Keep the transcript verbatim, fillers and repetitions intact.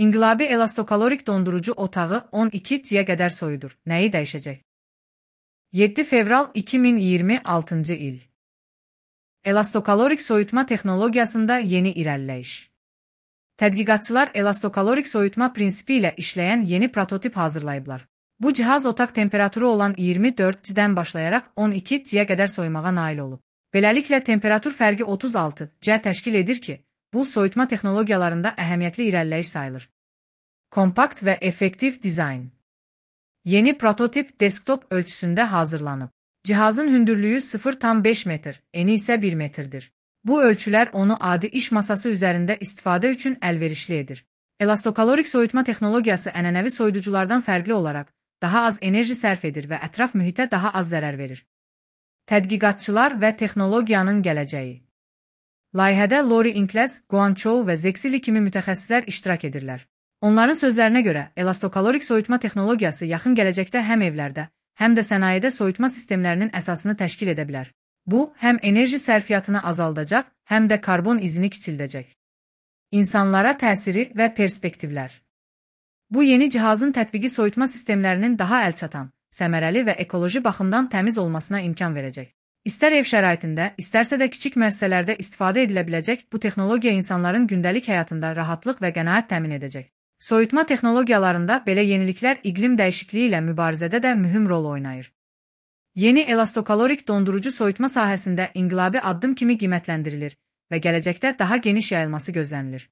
İnqilabi elastokalorik dondurucu otağı on iki T'yə qədər soyudur. Nəyi dəyişəcək? yeddi fevral iki min iyirmi altıncı il. Elastokalorik soyutma texnologiyasında yeni irəliləyiş. Tədqiqatçılar elastokalorik soyutma prinsipi ilə işləyən yeni prototip hazırlayıblar. Bu cihaz otaq temperaturu olan iyirmi dörd C'dən başlayaraq on iki T'yə qədər soyumağa nail olub. Beləliklə temperatur fərqi otuz altı C təşkil edir ki, bu soyutma texnologiyalarında əhəmiyyətli irəliləyiş sayılır. Kompakt və effektiv dizayn. Yeni prototip desktop ölçüsündə hazırlanıb. Cihazın hündürlüyü sıfır tam beş metr, eni isə bir metrdir. Bu ölçülər onu adi iş masası üzərində istifadə üçün əlverişli edir. Elastokalorik soyutma texnologiyası ənənəvi soyuduculardan fərqli olaraq daha az enerji sərf edir və ətraf mühitə daha az zərər verir. Tədqiqatçılar və texnologiyanın gələcəyi. Layihədə Lori Ingles, Guangzhou və Zexili kimi mütəxəssislər iştirak edirlər. Onların sözlərinə görə, elastokalorik soyutma texnologiyası yaxın gələcəkdə həm evlərdə, həm də sənayedə soyutma sistemlərinin əsasını təşkil edə bilər. Bu, həm enerji sərfiyyatını azaldacaq, həm də karbon izini kiçildəcək. İnsanlara təsiri və perspektivlər. Bu yeni cihazın tətbiqi soyutma sistemlərinin daha əlçatan, səmərəli və ekoloji baxımdan təmiz olmasına imkan verəcək. İstər ev şəraitində, istərsə də kiçik müəssisələrdə istifadə edilə biləcək bu texnologiya insanların gündəlik həyatında rahatlıq və qənaət təmin edəcək. Soyutma texnologiyalarında belə yeniliklər iqlim dəyişikliyi ilə mübarizədə də mühüm rol oynayır. Yeni elastokalorik dondurucu soyutma sahəsində inqilabi addım kimi qiymətləndirilir və gələcəkdə daha geniş yayılması gözlənilir.